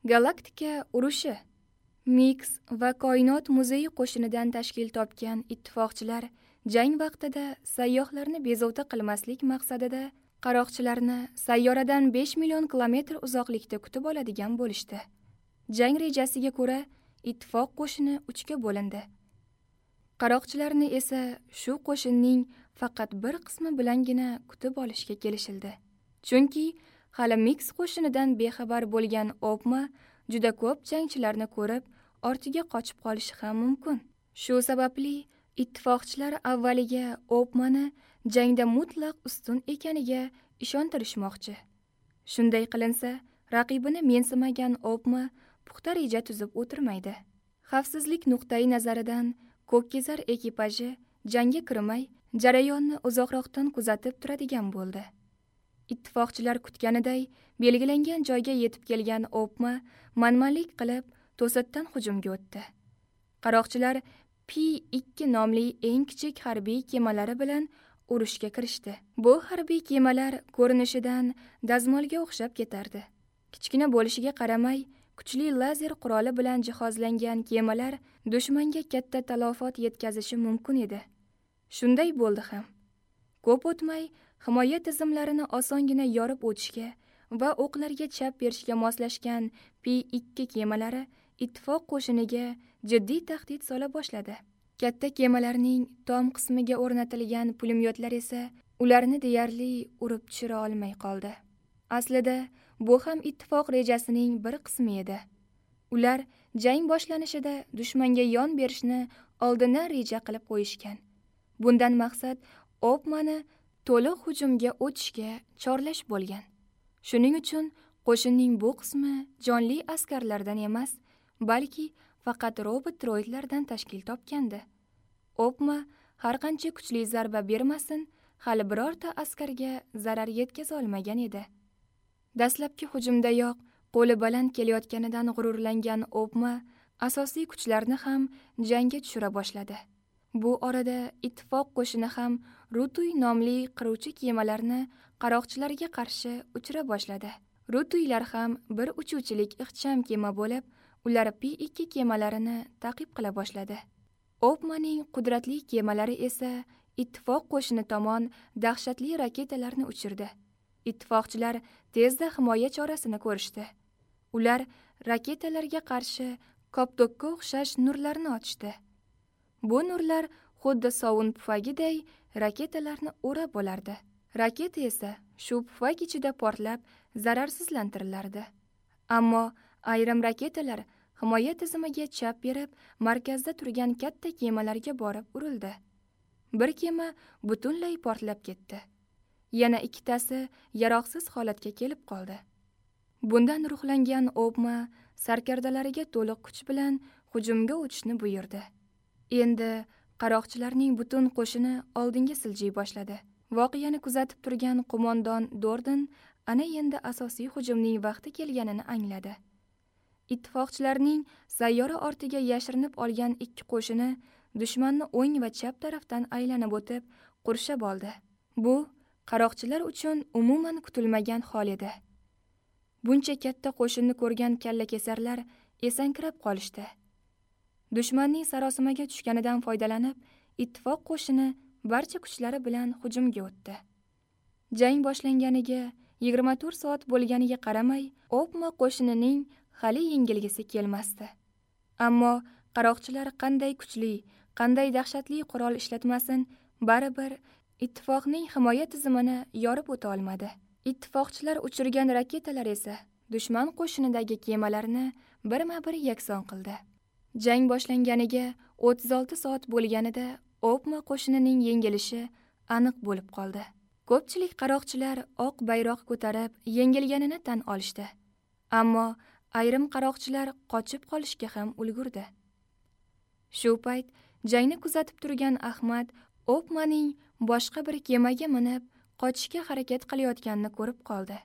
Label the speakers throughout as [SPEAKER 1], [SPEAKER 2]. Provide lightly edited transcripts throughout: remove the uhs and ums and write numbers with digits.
[SPEAKER 1] Galaktika urushi. Mix va Koinot muzeyi qo'shinidan tashkil topgan ittifoqchilar jang vaqtida sayyohlarni bezovta qilmaslik maqsadida qaroqchilarni sayyoradan 5 million kilometr uzoqlikda kutib oladigan bo'lishdi. Jang rejasiga ko'ra, ittifoq qo'shini 3 ga bo'lindi. Qaroqchilarni esa shu qo'shinning faqat bir qismi bilangina kutib olishga kelishildi. Chunki hali Mix qo'shinidan bexabar bo'lgan Opma juda ko'p jangchilarni ko'rib, ortiga qochib qolishi ham mumkin. Shu sababli ittifoqchilar avvaliga Opmani jangda mutlaq ustun ekaniga ishontirishmoqchi. Shunday qilinsa, raqibini mensimagan Opma puxta reja tuzib o'tirmaydi. Xavfsizlik nuqtai nazaridan Ko'kkezar ekipaji jangga kirmay, jarayonni uzoqroqdan kuzatib turadigan bo'ldi. Ittifoqchilar kutganiday belgilangan joyga yetib kelgan Opma manmanlik qilib to'satdan hujumga o'tdi. Qaroqchilar P2 nomli eng kichik harbiy kemalari bilan urushga kirishdi. Bu harbiy kemalar ko'rinishidan dazmolga o'xshab ketardi. Kichkina bo'lishiga qaramay, kuchli lazer quroli bilan jihozlangan kemalar dushmanga katta talofot yetkazishi mumkin edi. Shunday bo'ldi ham. Ko'p o'tmay, himoya tizimlarini osongina yorib o'tishga va o'qlarga chap berishga moslashgan P2 kemalari ittifoq qo'shiniga jiddiy tahdid sola boshladi. Katta kemalarning tom qismiga o'rnatilgan pulemyotlar esa ularni deyarli urib tushira olmay qoldi. Aslida bu ham ittifoq rejasining bir qismi edi. Ular jang boshlanishida dushmanga yon berishni oldindan reja qilib qo'yishgan. Bundan maqsad Opmani to'liq hujumga o'tishga chorlash bo'lgan. Shuning uchun qo'shinning bu qismi jonli askarlardan emas, balki faqat robot droidlardan tashkil topgandi. Opma har qancha kuchli zarba bermasin, hali birorta askarga zarar yetkaza olmagan edi. Dastlabki hujumdayoq qo'li baland kelayotganidan g'ururlangan Opma asosiy kuchlarni ham jangga tushira boshladi. Bu orada ittifoq qo'shini ham Rutuy nomli qiruvchi kemalarni qaroqchilarga qarshi uchira boshladi. Rutuylar ham bir uchuvchilik ixcham kema bo'lib, ular P2 kemalarini ta'qib qila boshladi. Opmaning qudratli kemalari esa ittifoq qo'shini tomon dahshatli raketalarni uchirdi. Ittifoqchilar tezda himoya chorasini ko'rishdi. Ular raketalarga qarshi koptokka o'xshash nurlarni ochdi. Bu nurlar xuddi sovun pufagiday raketalarni o'rab olardi. Raketa esa shu pufak ichida portlab zararsizlantirilardi. Ammo ayrim raketalar himoya tizimiga chap berib, markazda turgan katta kemalarga borib urildi. Bir kema butunlay portlab ketdi. Yana ikkitasi yaroqsiz holatga kelib qoldi. Bundan ruhlangan Opma sarkardalariga to'liq kuch bilan hujumga o'tishni buyurdi. Endi qaroqchilarning butun qo'shini oldinga siljiy boshladi. Voqeani kuzatib turgan qo'mondon Dorden ana endi asosiy hujumning vaqti kelganini angladi. Ittifoqchilarning sayyora ortiga yashirinib olgan ikki qo'shini dushmanni o'ng va chap tarafdan aylanib o'tib, qurshab oldi. Bu qaroqchilar uchun umuman kutilmagan hol edi. Buncha katta qo'shinni ko'rgan kallakesarlar esankirab qolishdi. Dushmanning sarosimaga tushganidan foydalanib, ittifoq qo'shini barcha kuchlari bilan hujumga o'tdi. Jang boshlanganiga 24 soat bo'lganiga qaramay, Opma qo'shinining hali yengilgisi kelmasdi. Ammo qaroqchilar qanday kuchli, qanday dahshatli qurol ishlatmasin, baribir ittifoqning himoya tizimini yorib o'ta olmadi. Ittifoqchilar uchirgan raketalar esa dushman qo'shinidagi kemalarni birma-bir yakson qildi. Jang boshlanganiga 36 soat bo'lganida Opma qo'shinining yengilishi aniq bo'lib qoldi. Ko'pchilik qaroqchilar oq bayroq ko'tarib yengilganini tan olishdi. Ammo ayrim qaroqchilar qochib qolishga ham ulgurdi. Shu payt jangni kuzatib turgan Ahmad Opmaning boshqa bir kemaga minib qochishga harakat qilayotganini ko'rib qoldi.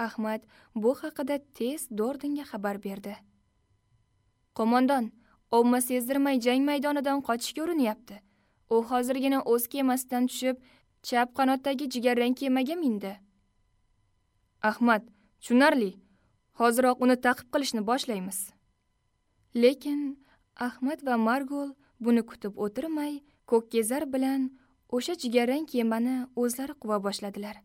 [SPEAKER 1] Ahmad bu haqida tez Dordinga xabar berdi. Qo'mondon, Opma sezdirmay jang maydonidan qochishga urinyapti. U hozirgina o'z kemasidan tushib, chap qanotdagi jigarrang kemaga mindi. Ahmad, tushunarli. Hoziroq uni ta'qib qilishni boshlaymiz. Lekin Ahmad va Margol buni kutib o'tirmay, Ko'kkezar bilan o'sha jigarrang kemani o'zlari quva boshladilar.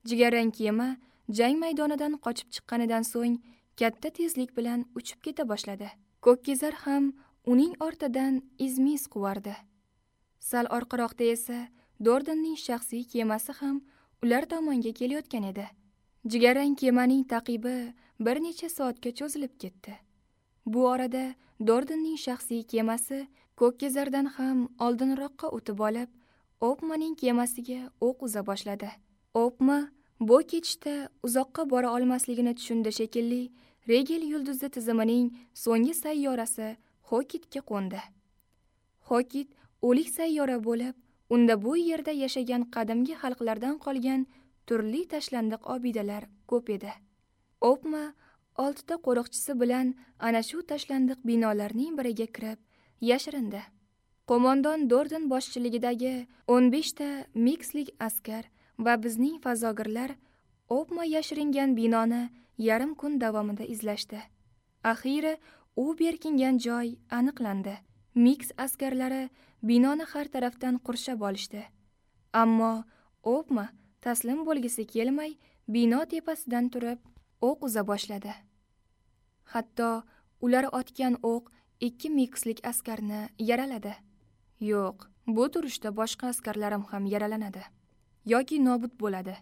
[SPEAKER 1] Jigarrang kema jang maydonidan qochib chiqqanidan so'ng katta tezlik bilan uchib keta boshladi. Ko'kkezar ham uning ortidan izmiz quvardi. Sal orqaroqda esa Dordonning shaxsiy kemasi ham ular tomonga kelayotgan edi. Jigarrang kemaning taqibi bir necha soatga cho'zilib ketdi. Bu orada Dordonning shaxsiy kemasi Ko'kkezardan ham oldinroqqa o'tib olib, Opmaning kemasiga o'q uza boshladi. Opma bu ketishda uzoqqa bora olmasligini tushundi shekilli, Regel yulduzi tizimining so'nggi sayyorasi Hokitga qo'ndi. Hokit o'lik sayyora bo'lib, unda bu yerda yashagan qadimgi xalqlardan qolgan turli tashlandiq obidalar ko'p edi. Opma 6 ta qo'riqchisi bilan ana shu tashlandiq binolarning biriga kirib yashirindi. Qo'mondon Dordon boshchiligidagi 15 ta mikslik askar va bizning fazogirlar Opma yashiringan binoni yarim kun davomida izlashdi. Axiyri u berkingan joy aniqlandi. Miks askarlari binoni har tarafdan qurshab olishdi. Ammo Opma taslim bo'lgisi kelmay, bino tepasidan turib o'q uza boshladi. Hatto ular otgan o'q 2 mikslik askarni yaraladi. Yo'q, bu turishda boshqa askarlarim ham yaralanadi yoki nobud bo'ladi.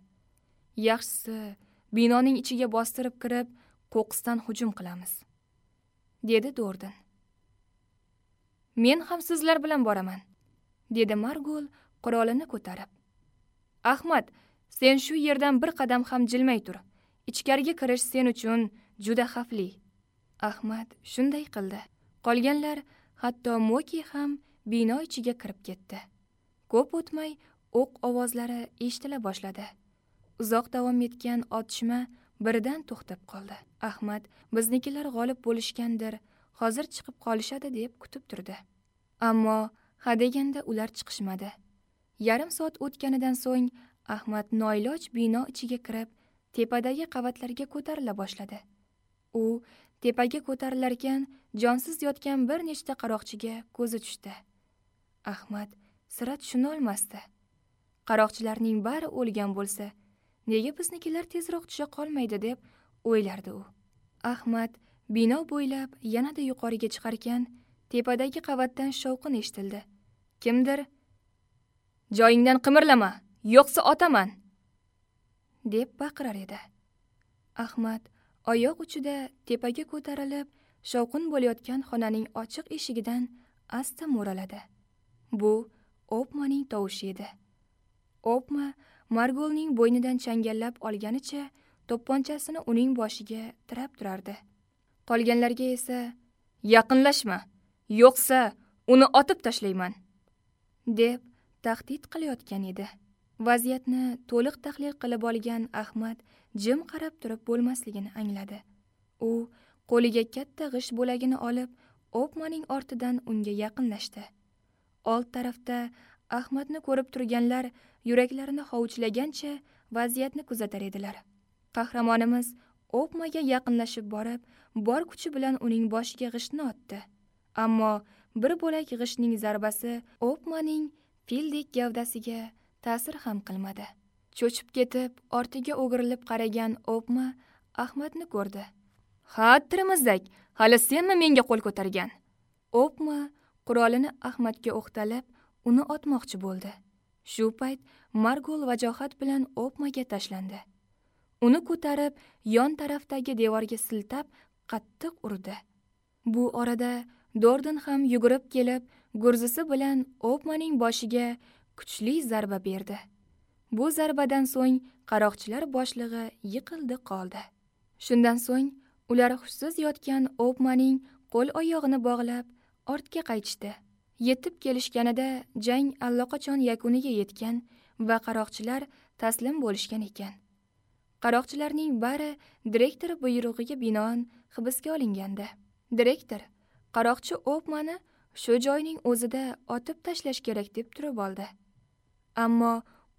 [SPEAKER 1] Yaxshisi, binoning ichiga bostirib kirib, qo'qqisdan hujum qilamiz, dedi Dordon. Men ham sizlar bilan boraman, dedi Margol qurolini ko'tarib. Ahmad, sen shu yerdan bir qadam ham jilmay tur. Ichkariga kirish sen uchun juda xavfli. Ahmad shunday qildi. Qolganlar, hatto Moki ham bino ichiga kirib ketdi. Ko'p o'tmay o'q ovozlari eshitila boshladi. Uzoq davom etgan otishma birdan to'xtab qoldi. Ahmad biznikilar g'olib bo'lishgandir, hozir chiqib qolishadi deb kutib turdi. Ammo hadeganda ular chiqishmadi. Yarim soat o'tganidan so'ng Ahmad noiloj bino ichiga kirib, tepadagi qavatlarga ko'tarila boshladi. U tepaga ko'tarilarkan jonsiz yotgan bir nechta qaroqchiga ko'zi tushdi. Ahmad sira tushuna olmasdi. Qaroqchilarning bari o'lgan bo'lsa, nega biznikilar tezroq tusha qolmaydi deb o'ylardi u. Ahmad bino bo'ylab yanada yuqoriga chiqarkan, tepadagi qavatdan shovqin eshitildi. Kimdir "Joyingdan qimirlama, yo'qsa otaman" deb baqirar edi. Ahmad oyoq uchida tepaga ko'tarilib, shovqin bo'layotgan xonaning ochiq eshigidan asta mo'raladi. Bu Opmaning tovushi edi. Opma Margolning bo'ynidan changallab olganicha to'pponchasini uning boshiga tirab turardi. Qolganlarga esa "Yaqinlashma, yo'qsa uni otib tashlayman" deb tahdid qilayotgan edi. Vaziyatni to'liq tahlil qilib olgan Ahmad jim qarab turib bo'lmasligini angladi. U qo'liga katta g'isht bo'lagini olib, Opmaning ortidan unga yaqinlashdi. Old tarafda Ahmadni ko'rib turganlar yuraklarini hovuchlagancha vaziyatni kuzatar edilar. Qahramonimiz Opmaga yaqinlashib borib, bor kuchi bilan uning boshiga g'ishtni otdi. Ammo bir bo'lak g'ishtning zarbasi Opmaning fildek gavdasiga ta'sir ham qilmadi. Cho'chib ketib, ortiga o'girilib qaragan Opma Ahmadni ko'rdi. "Ha, tirimizdak, hali senmi menga qo'l ko'targan?" Opma qurolini Ahmadga o'qtalib, uni otmoqchi bo'ldi. Shu payt Margol vajohat bilan Opmaga tashlandi. Uni ko'tarib, yon tarafdagi devorga siltab, qattiq urdi. Bu orada Dordon ham yugurib kelib, gurzisi bilan Opmaning boshiga kuchli zarba berdi. Bu zarbadan so'ng qaroqchilar boshlig'i yiqildi qoldi. Shundan so'ng ular hushsiz yotgan Opmaning qo'l oyog'ini bog'lab ortga qaytishdi. Yetib kelishganida jang allaqachon yakuniga yetgan va qaroqchilar taslim bo'lishgan ekan. Qaroqchilarning bari direktor buyrug'iga binoan hibsga olingandi. Direktor qaroqchi Opmani shu joyning o'zida otib tashlash kerak deb turib oldi. Ammo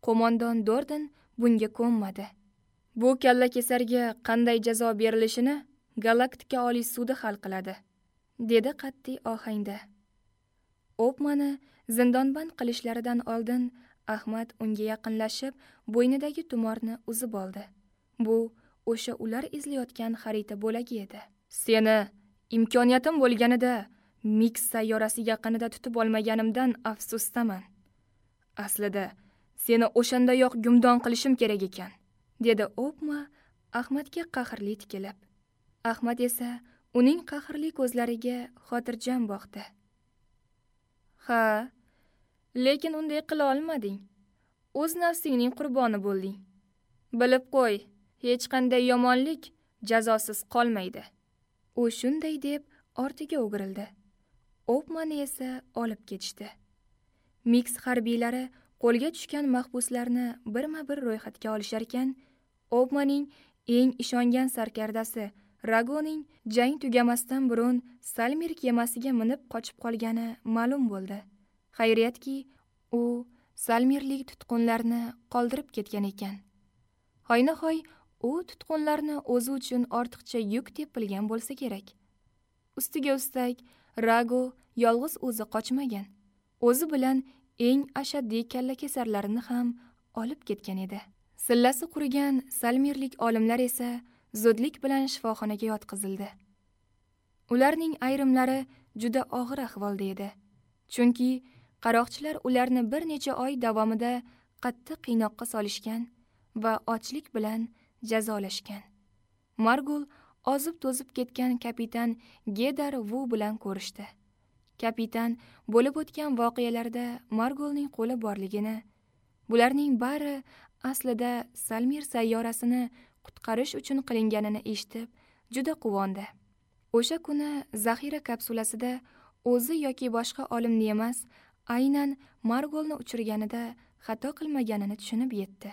[SPEAKER 1] qo'mondon Dordon bunga ko'nmadi. Bu kallakesarga qanday jazo berilishini Galaktika Oliy sudi hal qiladi, dedi qat'iy ohangda. Opmani zindonband qilishlaridan oldin Ahmad unga yaqinlashib, bo'ynidagi tumorni uzib oldi. Bu o'sha ular izlayotgan xarita bo'lagi edi. Seni imkoniyatim bo'lganida Mix sayyorasi yaqinida tutib olmaganimdan afsusdaman. Aslida seni o'shandayoq gumdon qilishim kerak ekan, dedi Opma Ahmadga qahrli tikilib. Ahmad esa uning qahrli ko'zlariga xotirjam boqdi. Ha, lekin unday qila olmading. O'z nafsingning qurboni bo'lding. Bilib qo'y, hech qanday yomonlik jazosiz qolmaydi. U shunday deb ortiga o'girildi. Opmani esa olib ketishdi. Mix harbiylari qo'lga tushgan mahbuslarni birma-bir ro'yxatga olishar ekan, Opmaning eng ishongan sarkardasi Ragoning jang tugamasdan burun Salmir kemasiga minib qochib qolgani ma'lum bo'ldi. Xayriyatki, u Salmirlik tutqunlarni qoldirib ketgan ekan. Hoynahoy u tutqunlarni o'zi uchun ortiqcha yuk deb bilgan bo'lsa kerak. Ustiga ustak, Rago yolg'iz o'zi qochmagan. O'zi bilan eng ashaddiy kallakesarlarini ham olib ketgan edi. Sillasi qurigan Salmirlik olimlar esa zudlik bilan shifoxonaga yotqizildi. Ularning ayrimlari juda og'ir ahvolda edi. Chunki qaroqchilar ularni bir necha oy davomida qattiq qiynoqqa solishgan va ochlik bilan jazolashgan. Margul ozib-to'zib ketgan kapitan Gedar Vu bilan ko'rishdi. Kapitan bo'lib o'tgan voqealarda Margulning qo'li borligini, bularning bari aslida Salmir sayyorasini qutqarish uchun qilinganini eshitib, juda quvondi. O'sha kuni zaxira kapsulasida o'zi yoki boshqa olimni emas, aynan Margolni uchirganida xato qilmaganini tushunib yetdi.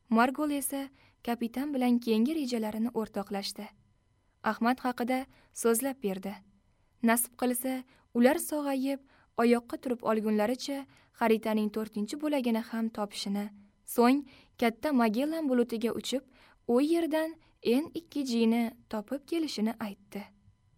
[SPEAKER 1] Margol esa kapitan bilan keyingi rejalarini o'rtoqlashdi. Ahmad haqida so'zlab berdi. Nasib qilsa, ular sog'ayib, oyoqqa turib olgunlaricha xaritaning 4-bo'lagini ham topishini, so'ng katta Magellan bulutiga uchib, u yerdan N2G'ni topib kelishini aytdi.